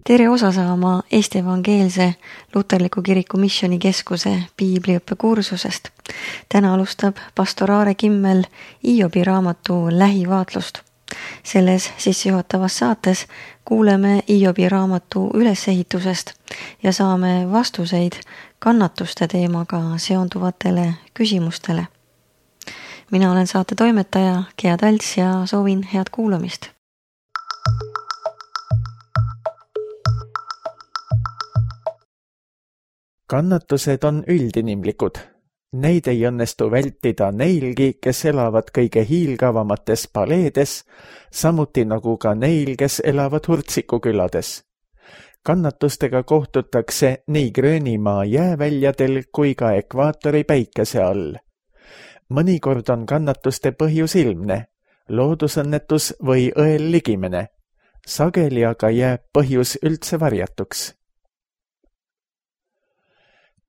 Tere osa saama Eesti Evangeelse Luterliku Kiriku Missioonikeskuse piibliõppekursusest. Täna alustab pastor Aare Kimmel Hiobi raamatu lähivaatlust. Selles sissejuhatavas saates kuuleme Hiobi raamatu ülesehitusest ja saame vastuseid kannatuste teemaga seonduvatele küsimustele. Mina olen saate toimetaja Gea Talts ja soovin head kuulamist. Kannatused on üldinimlikud. Neid ei õnnestu vältida neilgi, kes elavad kõige hiilgavamates paleedes, samuti nagu ka neil, kes elavad Hurtsikukülades. Kannatustega kohtutakse nii Gröönimaa jääväljadel kui ka ekvaatori päikese all. Mõnikord on kannatuste põhjus ilmne, loodusõnnetus või õel ligimene. Sageli aga jääb põhjus üldse varjatuks.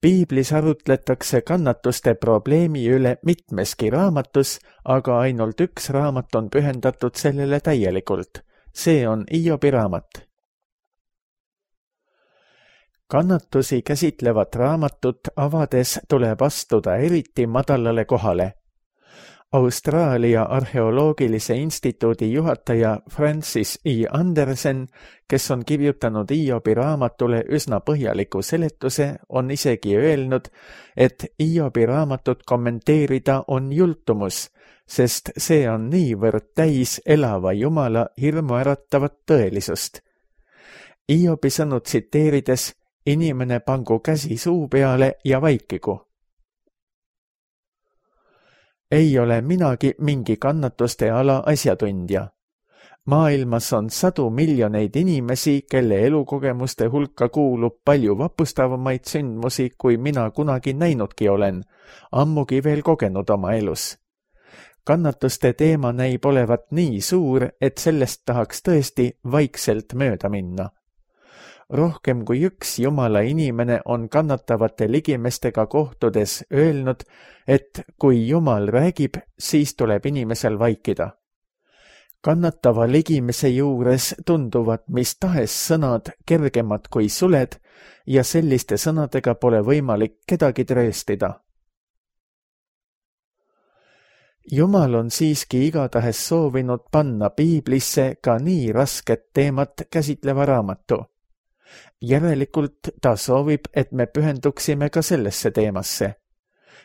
Piiblis arutletakse kannatuste probleemi üle mitmeski raamatus, aga ainult üks raamat on pühendatud sellele täielikult. See on Hiobi raamat. Kannatusi käsitlevat raamatut avades tuleb astuda eriti madalale kohale. Austraalia Arheoloogilise Instituudi juhataja Francis E. Andersen, kes on kirjutanud Hiobi raamatule üsna põhjaliku seletuse, on isegi öelnud, et Hiobi raamatut kommenteerida on jultumus, sest see on niivõrd täis elava Jumala hirmuäratavat tõelisust. Hiobi sõnu tsiteerides, inimene pangu käsi suu peale ja vaikigu. Ei ole minagi mingi kannatuste ala asjatundja. Maailmas on 100 miljoneid inimesi, kelle elukogemuste hulka kuulub palju vapustavamaid sündmusi, kui mina kunagi näinudki olen, ammugi veel kogenud oma elus. Kannatuste teema näib olevat nii suur, et sellest tahaks tõesti vaikselt mööda minna. Rohkem kui üks Jumala inimene on kannatavate ligimestega kohtudes öelnud, et kui Jumal räägib, siis tuleb inimesel vaikida. Kannatava ligimese juures tunduvad mis tahes sõnad kergemad kui suled ja selliste sõnadega pole võimalik kedagi trööstida. Jumal on siiski igatahes soovinud panna piiblisse ka nii rasket teemat käsitleva raamatu. Järelikult ta soovib, et me pühenduksime ka sellesse teemasse.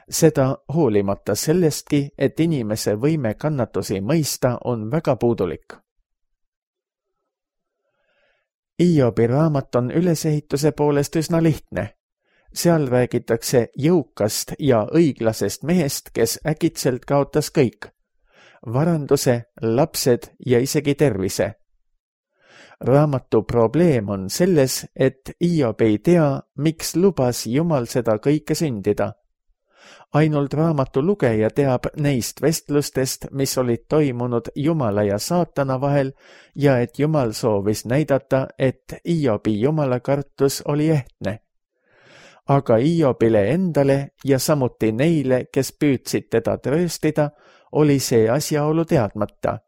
Seda hoolimata sellestki, et inimese võime kannatusi mõista on väga puudulik. Hiobi raamat on ülesehituse poolest üsna lihtne. Seal räägitakse jõukast ja õiglasest mehest, kes äkitselt kaotas kõik. Varanduse, lapsed ja isegi tervise. Raamatu probleem on selles, et Hiob ei tea, miks lubas Jumal seda kõike sündida. Ainult raamatu lugeja teab neist vestlustest, mis olid toimunud Jumala ja saatana vahel ja et Jumal soovis näidata, et Hiobi jumalakartus oli ehtne. Aga Hiobile endale ja samuti neile, kes püüdsid teda trööstida, oli see asjaolu teadmata.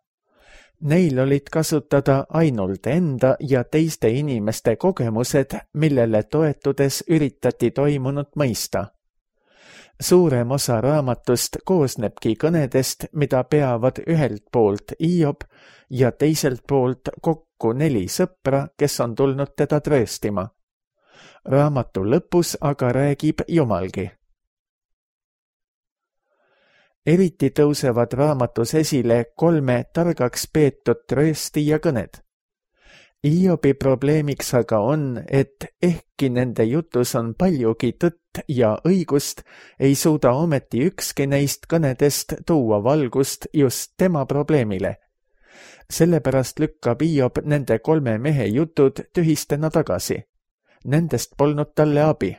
Neil olid kasutada ainult enda ja teiste inimeste kogemused, millele toetudes üritati toimunut mõista. Suurem osa raamatust koosnebki kõnedest, mida peavad ühelt poolt Hiob ja teiselt poolt kokku 4 sõpra, kes on tulnud teda trööstima. Raamatu lõpus aga räägib Jumalgi. Eriti tõusevad raamatus esile 3 targaks peetud tröösti ja kõned. Hiobi probleemiks aga on, et ehkki nende jutus on paljugi tõtt ja õigust, ei suuda ometi ükski neist kõnedest tuua valgust just tema probleemile. Sellepärast lükkab Hiob nende 3 mehe jutud tühistena tagasi. Nendest polnud talle abi.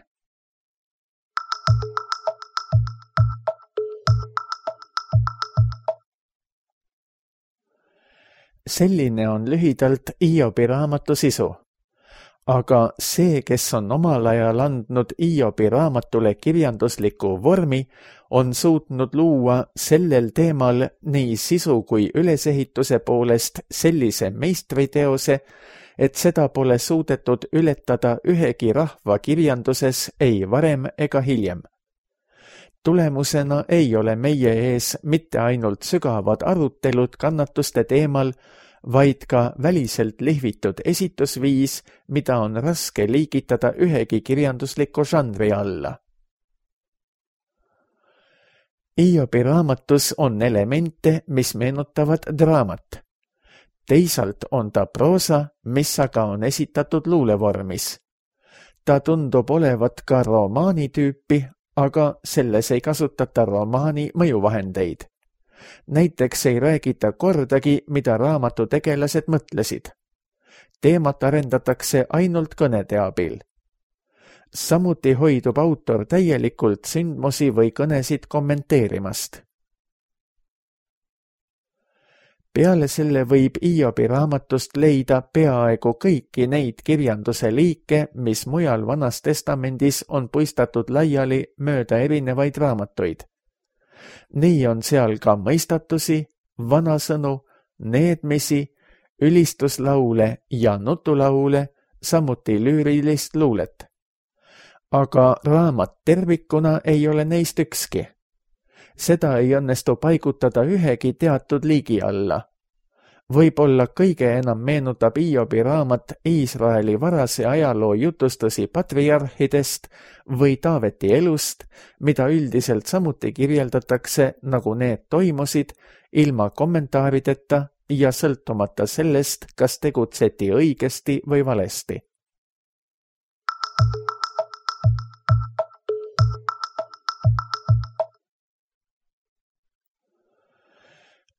Selline on lühidalt Hiobi raamatu sisu. Aga see, kes on omal ajal andnud Hiobi raamatule kirjandusliku vormi, on suutnud luua sellel teemal nii sisu kui ülesehituse poolest sellise meistriteose, et seda pole suudetud ületada ühegi rahva kirjanduses ei varem ega hiljem. Tulemusena ei ole meie ees mitte ainult sügavad arutelud kannatuste teemal, vaid ka väliselt lihvitud esitusviis, mida on raske liigitada ühegi kirjandusliku žanri alla. Hiobi raamatus on elemente, mis meenutavad draamat. Teisalt on ta proosa, mis aga on esitatud luulevormis. Ta tundub olevat ka romaani tüüpi, aga selles ei kasutata romaani mõjuvahendeid. Näiteks ei räägita kordagi, mida raamatu tegelased mõtlesid. Teemat arendatakse ainult kõnede abil. Samuti hoidub autor täielikult sündmusi või kõnesid kommenteerimast. Peale selle võib Hiobi raamatust leida peaaegu kõiki neid kirjanduse liike, mis mujal Vanas Testamendis on puistatud laiali mööda erinevaid raamatuid. Nii on seal ka mõistatusi, vanasõnu, needmisi, ülistuslaule ja nutulaule, samuti lüürilist luulet. Aga raamat tervikuna ei ole neist ükski. Seda ei õnnestu paigutada ühegi teatud liigi alla. Võib-olla kõige enam meenutab Hiobi raamat Iisraeli varase ajaloo jutustusi patriarhidest või Taaveti elust, mida üldiselt samuti kirjeldatakse, nagu need toimusid, ilma kommentaarideta ja sõltumata sellest, kas tegutseti õigesti või valesti.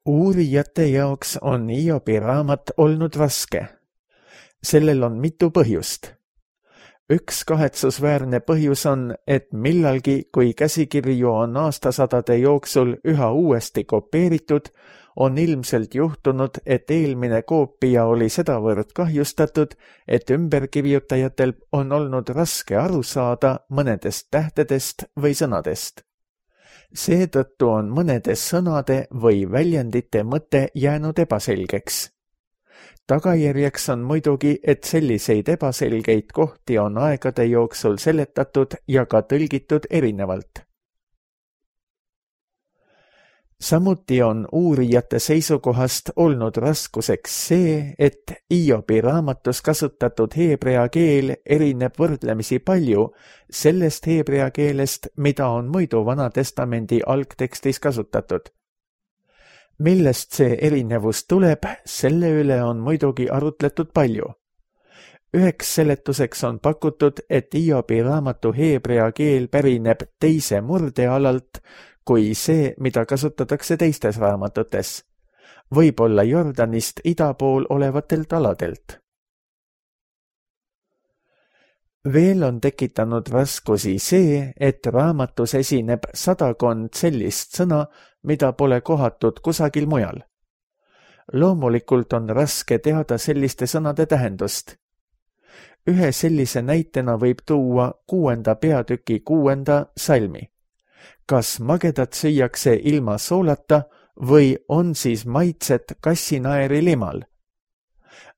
Uurijate jaoks on Hiobi raamat olnud raske. Sellel on mitu põhjust. Üks kahetsusväärne põhjus on, et millalgi, kui käsikirju on aastasadade jooksul üha uuesti kopeeritud, on ilmselt juhtunud, et eelmine koopia oli sedavõrd kahjustatud, et ümberkirjutajatel on olnud raske aru saada mõnedest tähtedest või sõnadest. Seetõttu on mõnede sõnade või väljendite mõte jäänud ebaselgeks. Tagajärjeks on muidugi, et selliseid ebaselgeid kohti on aegade jooksul seletatud ja ka tõlgitud erinevalt. Samuti on uurijate seisukohast olnud raskuseks see, et Hiobi raamatus kasutatud heebrea keel erineb võrdlemisi palju sellest heebrea keelest, mida on muidu Vana Testamendi algtekstis kasutatud. Millest see erinevus tuleb, selle üle on muidugi arutletud palju. Üheks seletuseks on pakutud, et Hiobi raamatu heebrea keel pärineb teise murdealalt, kui see, mida kasutatakse teistes raamatutes, võib-olla Jordanist ida pool olevatelt aladelt. Veel on tekitanud raskusi see, et raamatus esineb 100 sellist sõna, mida pole kohatud kusagil mujal. Loomulikult on raske teada selliste sõnade tähendust. Ühe sellise näitena võib tuua 6. peatüki 6. salmi. Kas magedat süüakse ilma soolata või on siis maitset kassinaeri limal?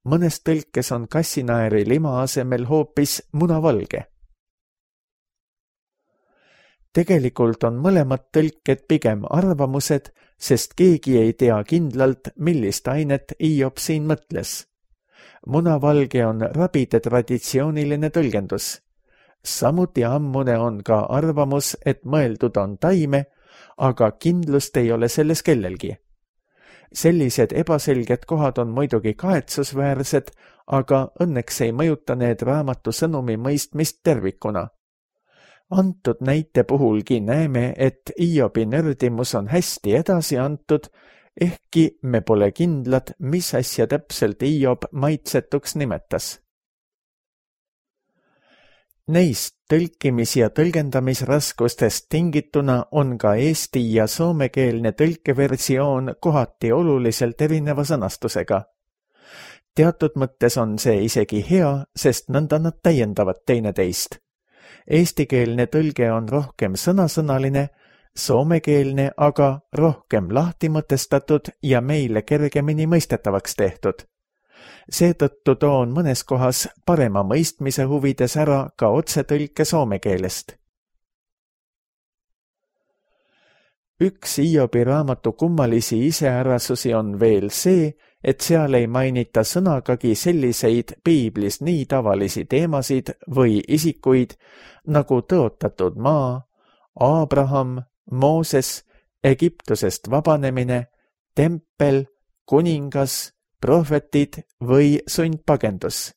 Mõnes tõlkes on kassinaeri lima asemel hoopis munavalge. Tegelikult on mõlemad tõlked pigem arvamused, sest keegi ei tea kindlalt, millist ainet Hiob siin mõtles. Munavalge on rabide traditsiooniline tõlgendus. Samuti ammune on ka arvamus, et mõeldud on taime, aga kindlust ei ole selles kellelgi. Sellised ebaselged kohad on muidugi kahetsusväärsed, aga õnneks ei mõjuta need raamatu sõnumi mõistmist tervikuna. Antud näite puhulgi näeme, et Hiobi nördimus on hästi edasi antud, ehkki me pole kindlad, mis asja täpselt Hiob maitsetuks nimetas. Neist tõlkimis- ja tõlgendamisraskustest tingituna on ka eesti- ja soomekeelne tõlkeversioon kohati oluliselt erineva sõnastusega. Teatud mõttes on see isegi hea, sest nõnda nad täiendavad teineteist. Eestikeelne tõlge on rohkem sõnasõnaline, soomekeelne aga rohkem lahti mõtestatud ja meile kergemini mõistetavaks tehtud. Seetõttu toon mõnes kohas parema mõistmise huvides ära ka otsetõlke soome keelest. Üks Hiobi raamatu kummalisi iseärasusi on veel see, et seal ei mainita sõnagagi selliseid piiblis nii tavalisi teemasid või isikuid nagu tõotatud maa, Abraham, Mooses, Egiptusest vabanemine, tempel, kuningas, prohvetid või sundpagendus.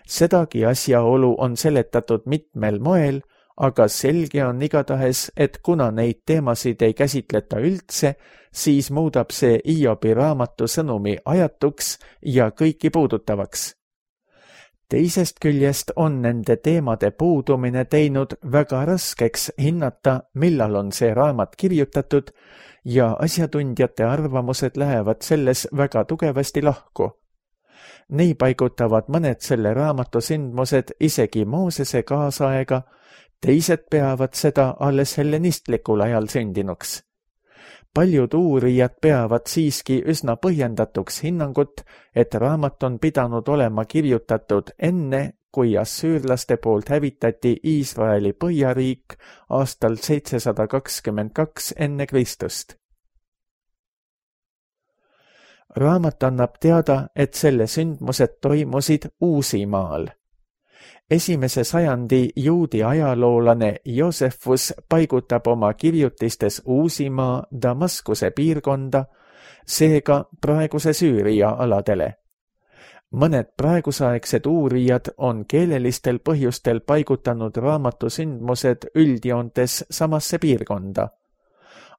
Sedagi asjaolu on seletatud mitmel moel, aga selge on igatahes, et kuna neid teemasid ei käsitleta üldse, siis muudab see Hiobi raamatu sõnumi ajatuks ja kõiki puudutavaks. Teisest küljest on nende teemade puudumine teinud väga raskeks hinnata, millal on see raamat kirjutatud ja asjatundjate arvamused lähevad selles väga tugevasti lahku. Nii paigutavad mõned selle raamatu sündmused isegi Moosese kaasaega, teised peavad seda alles hellenistlikul ajal sündinuks. Paljud uurijad peavad siiski üsna põhjendatuks hinnangut, et raamat on pidanud olema kirjutatud enne, kui assüürlaste poolt hävitati Iisraeli põhjariik aastal 722 enne Kristust. Raamat annab teada, et selle sündmused toimusid Uusimaal. Esimese sajandi juudi ajaloolane Joosefus paigutab oma kirjutistes Uusimaa Damaskuse piirkonda, seega praeguse Süüria aladele. Mõned praegusaegsed uurijad on keelelistel põhjustel paigutanud raamatu sündmused üldjoontes samasse piirkonda,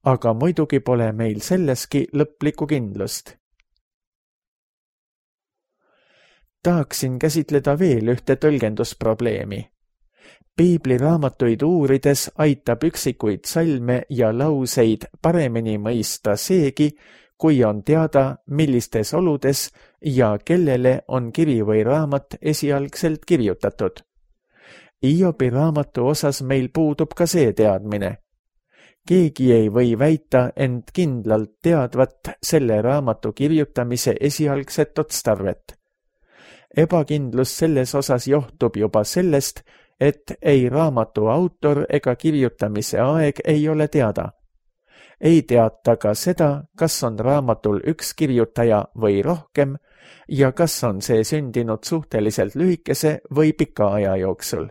aga muidugi pole meil selleski lõplikku kindlust. Tahaksin käsitleda veel ühte tõlgendusprobleemi. Piibliraamatuid uurides aitab üksikuid salme ja lauseid paremini mõista seegi, kui on teada, millistes oludes ja kellele on kiri või raamat esialgselt kirjutatud. Hiobi raamatu osas meil puudub ka see teadmine. Keegi ei või väita end kindlalt teadvat selle raamatu kirjutamise esialgset otstarvet. Ebakindlus selles osas johtub juba sellest, et ei raamatu autor ega kirjutamise aeg ei ole teada. Ei teata ka seda, kas on raamatul üks kirjutaja või rohkem ja kas on see sündinud suhteliselt lühikese või pika aja jooksul.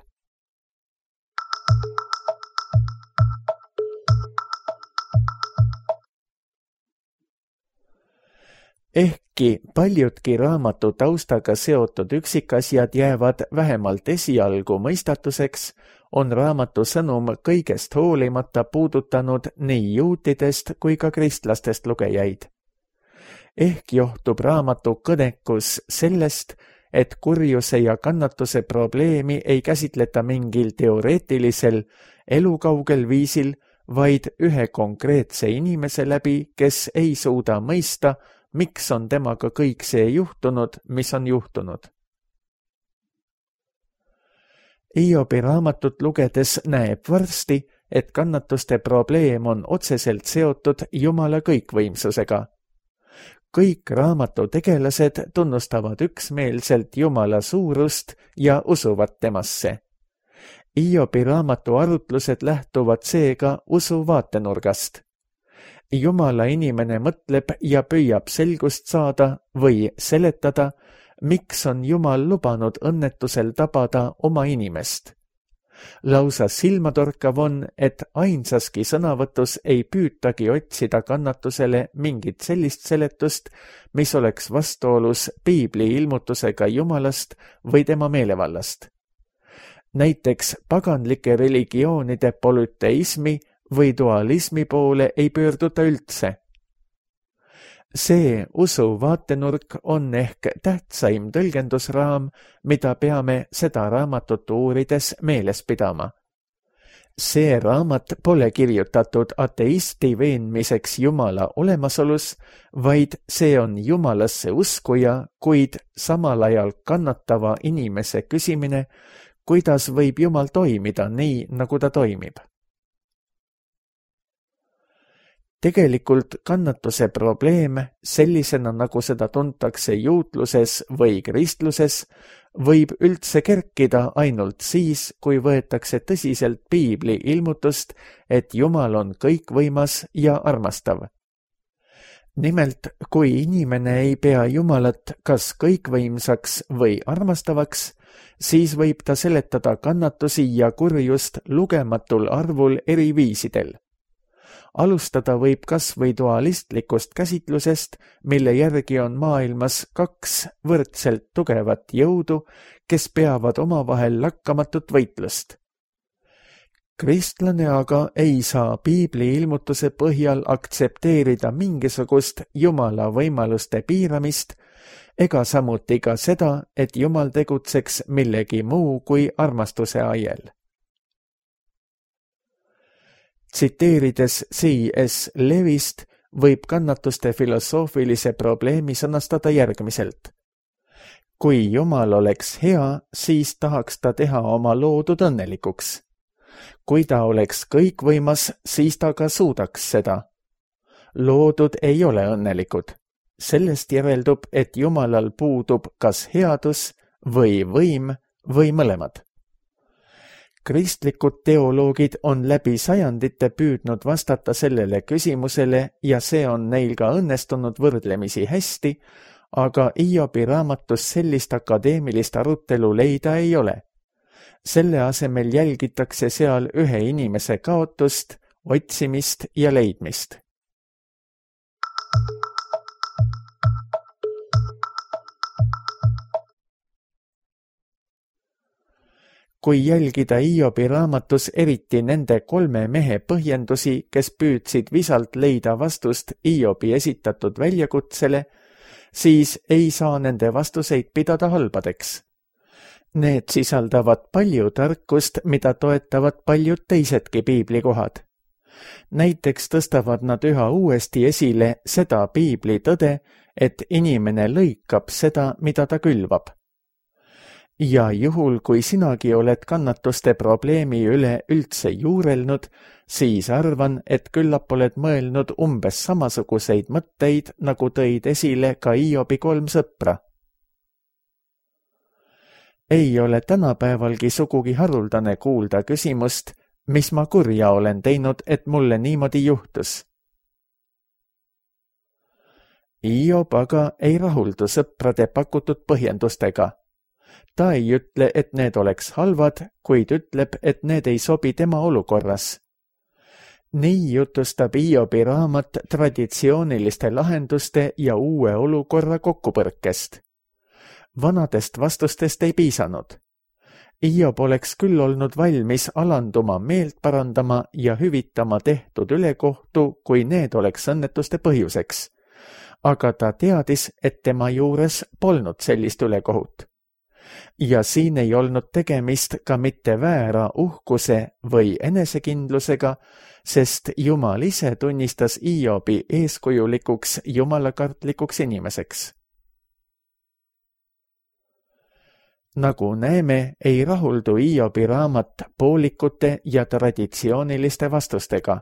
Ehkki paljudki raamatu taustaga seotud üksikasjad jäävad vähemalt esialgu mõistatuseks, on raamatu sõnum kõigest hoolimata puudutanud nii juutidest kui ka kristlastest lugejaid. Ehk johtub raamatu kõnekus sellest, et kurjuse ja kannatuse probleemi ei käsitleta mingil teoreetilisel, elukaugel viisil, vaid ühe konkreetse inimese läbi, kes ei suuda mõista, miks on temaga kõik see juhtunud, mis on juhtunud. Hiobi raamatut lugedes näeb varsti, et kannatuste probleem on otseselt seotud Jumala kõikvõimsusega. Kõik raamatu tegelased tunnustavad üksmeelselt Jumala suurust ja usuvad temasse. Hiobi raamatu arutlused lähtuvad seega usu vaatenurgast. Jumala inimene mõtleb ja püüab selgust saada või seletada, miks on Jumal lubanud õnnetusel tabada oma inimest. Lausa silmatorkav on, et ainsaski sõnavõtus ei püütagi otsida kannatusele mingit sellist seletust, mis oleks vastuolus piibli ilmutusega Jumalast või tema meelevallast. Näiteks paganlike religioonide polüteismi või dualismi poole ei pöörduta üldse. See usu vaatenurk on ehk tähtsaim tõlgendusraam, mida peame seda raamatut uurides meeles pidama. See raamat pole kirjutatud ateisti veenmiseks Jumala olemasolus, vaid see on Jumalasse uskuja, kuid samal ajal kannatava inimese küsimine, kuidas võib Jumal toimida nii, nagu ta toimib. Tegelikult kannatuse probleem sellisena, nagu seda tuntakse juutluses või kristluses, võib üldse kerkida ainult siis, kui võetakse tõsiselt piibli ilmutust, et Jumal on kõikvõimas ja armastav. Nimelt, kui inimene ei pea Jumalat kas kõikvõimsaks või armastavaks, siis võib ta seletada kannatusi ja kurjust lugematul arvul eri viisidel. Alustada võib kas või dualistlikust käsitlusest, mille järgi on maailmas kaks võrdselt tugevat jõudu, kes peavad omavahel lakkamatut võitlust. Kristlane aga ei saa piibli ilmutuse põhjal aktsepteerida mingisugust Jumala võimaluste piiramist ega samuti ka seda, et Jumal tegutseks millegi muu kui armastuse aiel. Tsiteerides C.S. Lewist võib kannatuste filosoofilise probleemi sõnastada järgmiselt. Kui Jumal oleks hea, siis tahaks ta teha oma loodud õnnelikuks. Kui ta oleks kõikvõimas, siis ta ka suudaks seda. Loodud ei ole õnnelikud. Sellest järeldub, et Jumalal puudub kas headus või võim või mõlemad. Kristlikud teoloogid on läbi sajandite püüdnud vastata sellele küsimusele ja see on neil ka õnnestunud võrdlemisi hästi, aga Hiobi raamatus sellist akadeemilist arutelu leida ei ole. Selle asemel jälgitakse seal ühe inimese kaotust, otsimist ja leidmist. Kui jälgida Hiobi raamatus eriti nende 3 mehe põhjendusi, kes püüdsid visalt leida vastust Hiobi esitatud väljakutsele, siis ei saa nende vastuseid pidada halbadeks. Need sisaldavad palju tarkust, mida toetavad paljud teisedki piiblikohad. Näiteks tõstavad nad üha uuesti esile seda piibli tõde, et inimene lõikab seda, mida ta külvab. Ja juhul, kui sinagi oled kannatuste probleemi üle üldse juurelnud, siis arvan, et küllap oled mõelnud umbes samasuguseid mõtteid, nagu tõid esile ka Hiobi 3 sõpra. Ei ole tänapäevalgi sugugi haruldane kuulda küsimust, mis ma kurja olen teinud, et mulle niimoodi juhtus. Hiob aga ei rahuldu sõprade pakutud põhjendustega. Ta ei ütle, et need oleks halvad, kuid ütleb, et need ei sobi tema olukorras. Nii jutustab Hiobi raamat traditsiooniliste lahenduste ja uue olukorra kokkupõrkest. Vanadest vastustest ei piisanud. Hiob oleks küll olnud valmis alanduma, meelt parandama ja hüvitama tehtud ülekohtu, kui need oleks õnnetuste põhjuseks. Aga ta teadis, et tema juures polnud sellist ülekohut. Ja siin ei olnud tegemist ka mitte väära uhkuse või enesekindlusega, sest Jumal ise tunnistas Hiobi eeskujulikuks jumalakartlikuks inimeseks. Nagu näeme, ei rahuldu Hiobi raamat poolikute ja traditsiooniliste vastustega.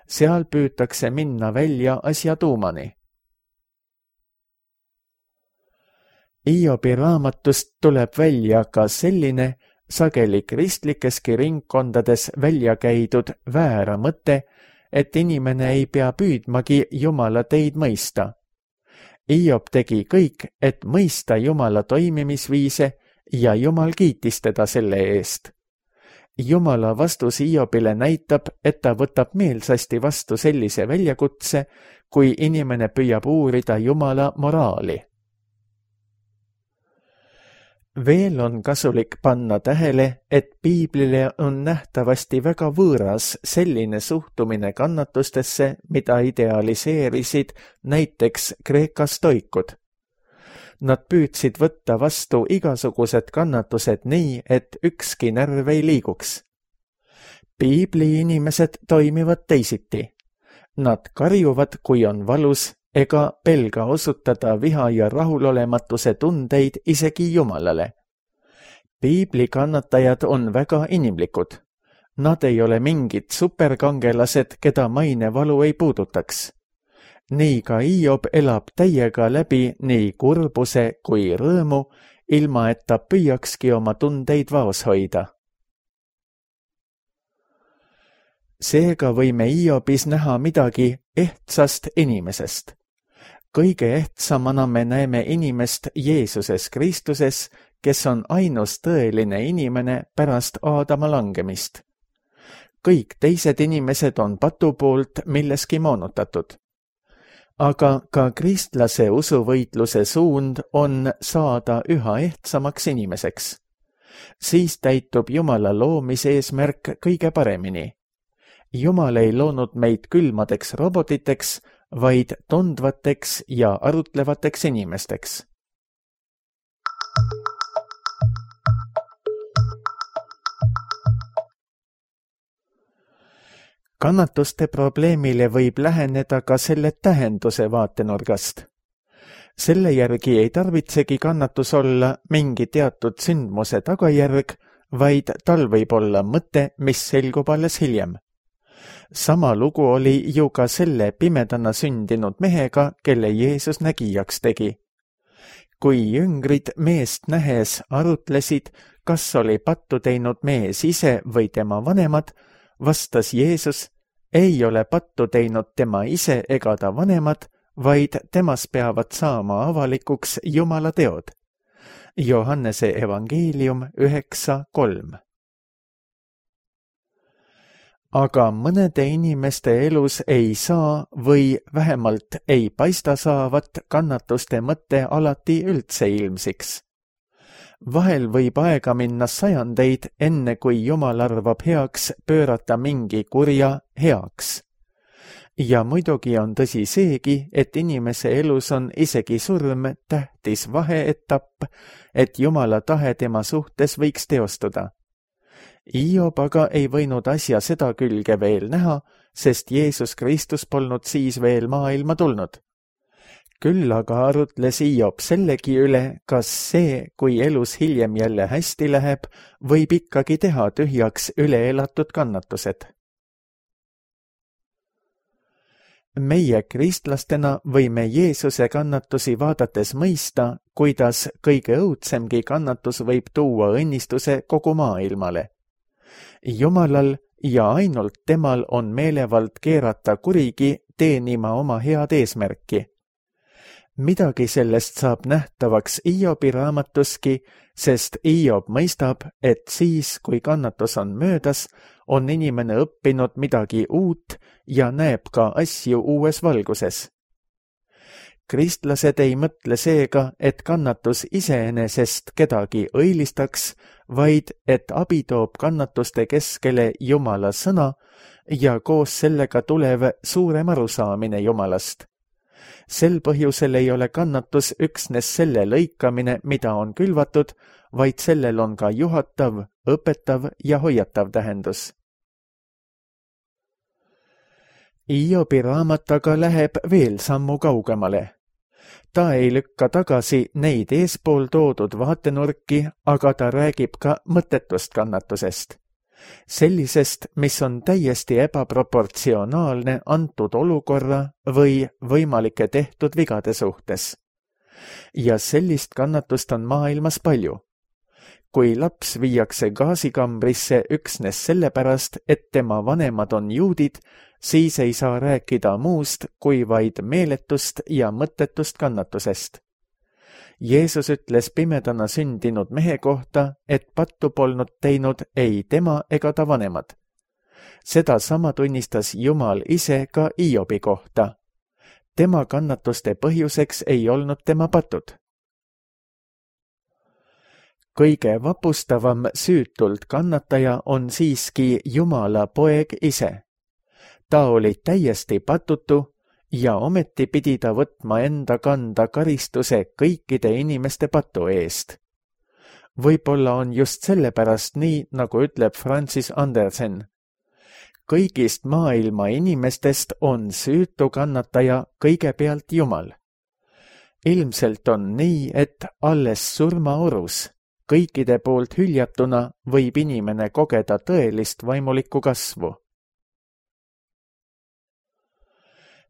Seal püütakse minna välja asja tuumani. Hiobi raamatust tuleb välja ka selline, sageli kristlikeski ringkondades välja käidud väära mõte, et inimene ei pea püüdmagi Jumala teid mõista. Hiob tegi kõik, et mõista Jumala toimimisviise ja Jumal kiitis teda selle eest. Jumala vastus Hiobile näitab, et ta võtab meelsasti vastu sellise väljakutse, kui inimene püüab uurida Jumala moraali. Veel on kasulik panna tähele, et piiblile on nähtavasti väga võõras selline suhtumine kannatustesse, mida idealiseerisid näiteks Kreeka stoikud. Nad püüdsid võtta vastu igasugused kannatused nii, et ükski närv ei liiguks. Piibli inimesed toimivad teisiti. Nad karjuvad, kui on valus, ega pelga osutada viha ja rahulolematuse tundeid isegi Jumalale. Piibli kannatajad on väga inimlikud. Nad ei ole mingid superkangelased, keda mainevalu ei puudutaks. Nii ka Hiob elab täiega läbi nii kurbuse kui rõõmu, ilma et ta püüakski oma tundeid vaos hoida. Seega võime Hiobis näha midagi ehtsast inimesest. Kõige ehtsamana me näeme inimest Jeesuses Kristuses, kes on ainus tõeline inimene pärast Aadama langemist. Kõik teised inimesed on patu poolt milleski moonutatud. Aga ka kristlase usuvõitluse suund on saada üha ehtsamaks inimeseks. Siis täitub Jumala loomise eesmärk kõige paremini. Jumal ei loonud meid külmadeks robotiteks, vaid tundvateks ja arutlevateks inimesteks. Kannatuste probleemile võib läheneda ka selle tähenduse vaatenurgast. Selle järgi ei tarvitsegi kannatus olla mingi teatud sündmuse tagajärg, vaid tal võib olla mõte, mis selgub alles hiljem. Sama lugu oli ju ka selle pimedana sündinud mehega, kelle Jeesus nägijaks tegi. Kui jüngrid meest nähes arutlesid, kas oli pattu teinud mees ise või tema vanemad, vastas Jeesus, ei ole pattu teinud tema ise ega ta vanemad, vaid temas peavad saama avalikuks Jumala teod. Johannese evangeelium 9:3. Aga mõnede inimeste elus ei saa või vähemalt ei paista saavat kannatuste mõte alati üldse ilmsiks. Vahel võib aega minna sajandeid, enne kui Jumal arvab heaks pöörata mingi kurja heaks. Ja muidugi on tõsi seegi, et inimese elus on isegi surm tähtis vaheetapp, et Jumala tahe tema suhtes võiks teostuda. Hiob aga ei võinud asja seda külge veel näha, sest Jeesus Kristus polnud siis veel maailma tulnud. Küll aga arutles Hiob sellegi üle, kas see, kui elus hiljem jälle hästi läheb, võib ikkagi teha tühjaks üleelatud kannatused. Meie kristlastena võime Jeesuse kannatusi vaadates mõista, kuidas kõige õudsemgi kannatus võib tuua õnnistuse kogu maailmale. Jumalal ja ainult temal on meelevald keerata kurigi teenima oma head eesmärki. Midagi sellest saab nähtavaks Hiobi raamatuski, sest Hiob mõistab, et siis, kui kannatus on möödas, on inimene õppinud midagi uut ja näeb ka asju uues valguses. Kristlased ei mõtle seega, et kannatus iseenesest kedagi õilistaks, vaid et abi toob kannatuste keskele Jumala sõna ja koos sellega tulev suurem arusaamine Jumalast. Sel põhjusel ei ole kannatus üksnes selle lõikamine, mida on külvatud, vaid sellel on ka juhatav, õpetav ja hoiatav tähendus. Hiobi raamat aga läheb veel sammu kaugemale. Ta ei lükka tagasi neid eespool toodud vaatenurki, aga ta räägib ka mõttetust kannatusest. Sellisest, mis on täiesti ebaproportsionaalne antud olukorra või võimalike tehtud vigade suhtes. Ja sellist kannatust on maailmas palju. Kui laps viiakse gaasikambrisse üksnes sellepärast, et tema vanemad on juudid, siis ei saa rääkida muust kui vaid meeletust ja mõttetust kannatusest. Jeesus ütles pimedana sündinud mehe kohta, et pattu polnud teinud ei tema ega ta vanemad. Seda sama tunnistas Jumal ise ka Hiobi kohta. Tema kannatuste põhjuseks ei olnud tema patud. Kõige vapustavam süütult kannataja on siiski Jumala poeg ise. Ta oli täiesti patutu ja ometi pidi ta võtma enda kanda karistuse kõikide inimeste patu eest. Võib-olla on just sellepärast nii, nagu ütleb Francis Andersen. Kõigist maailma inimestest on süütu kannataja kõigepealt Jumal. Ilmselt on nii, et alles surmaorus, kõikide poolt hüljatuna võib inimene kogeda tõelist vaimulikku kasvu.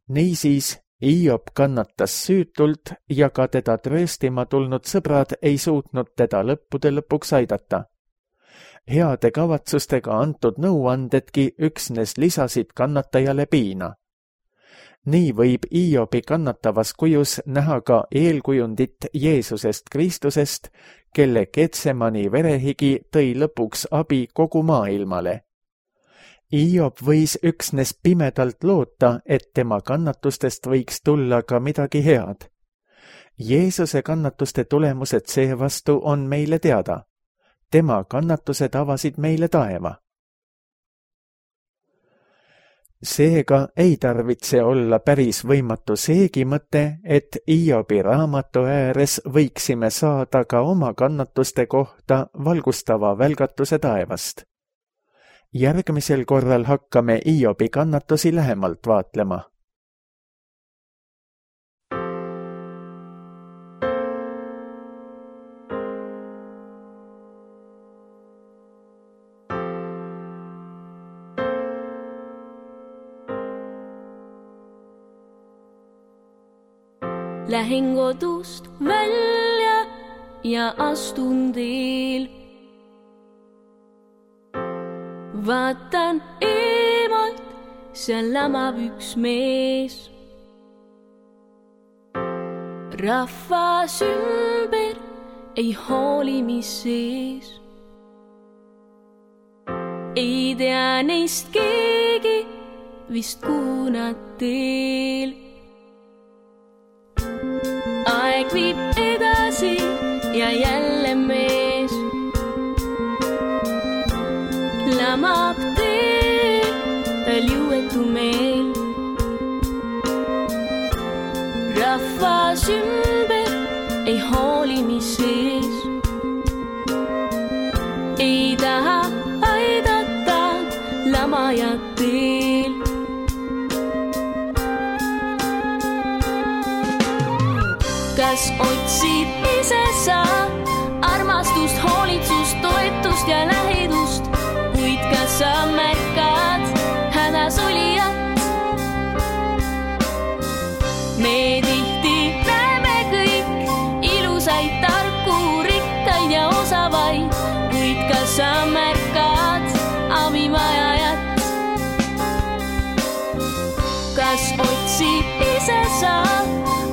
Niisiis, Hiob kannatas süütult ja ka teda trööstima tulnud sõbrad ei suutnud teda lõppude lõpuks aidata. Heade kavatsustega antud nõuandedki üksnes lisasid kannatajale piina. Nii võib Hiobi kannatavas kujus näha ka eelkujundit Jeesusest Kristusest, kelle Getsemani verehigi tõi lõpuks abi kogu maailmale. Hiob võis üksnes pimedalt loota, et tema kannatustest võiks tulla ka midagi head. Jeesuse kannatuste tulemused seevastu on meile teada. Tema kannatused avasid meile taeva. Seega ei tarvitse olla päris võimatu seegi mõte, et Hiobi raamatu ääres võiksime saada ka oma kannatuste kohta valgustava välgatuse taevast. Järgmisel korral hakkame Hiobi kannatusi lähemalt vaatlema. Lähen kodust välja ja astun teel. Vaatan eemalt, seal lamab üks mees. Rahvas ümber ei hooli, mis sees. Ei tea neist keegi, vist kuhu nad teel. Aeg viib edasi ja jälle mees lamab teel, tal jõuetu meel. Rahvas ümber ei hooli, mis sees. Ei taha aidata lamajat teel. Kas otsid ise sa armastust, hoolitsust, toetust ja lähedust, kuid kas sa märkad hädas olijat? Me tihti näeme kõik ilusaid, tarku, rikkaid ja osavaid, kuid kas sa märkad abivajajat? Kas otsid ise sa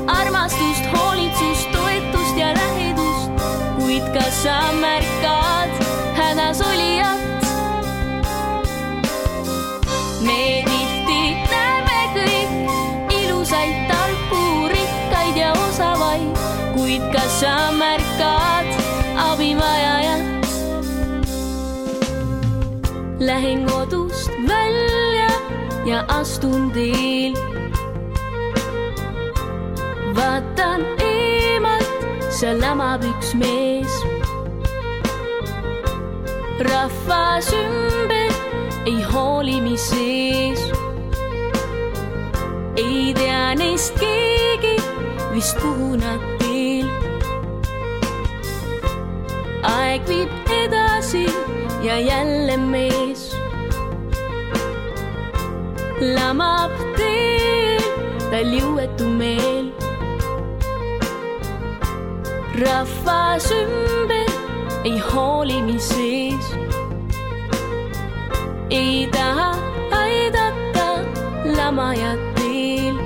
armastust, hoolitsust, toetust ja lähedust, kuid kas sa märkad hädas olijat? Me tihti näeme kõik ilusaid, tarku, rikkaid ja osavaid, kuid kas sa märkad abivajajat? Lähen kodust välja ja astun teel. Vaatan eemalt, seal lamab üks mees. Rahvas ümber ei hooli, mis sees. Ei tea neist keegi, vist kuhu nad teel. Aeg viib edasi ja jälle mees lamab teel, tal jõuetu meel. Rahvas ümber ei hooli, mis sees. Ei taha aidata lamajat teel.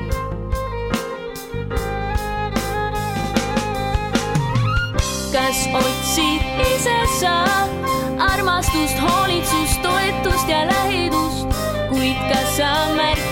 Kas otsid ise sa armastust, hoolitsust, toetust ja lähedust, kuid kas sa märkad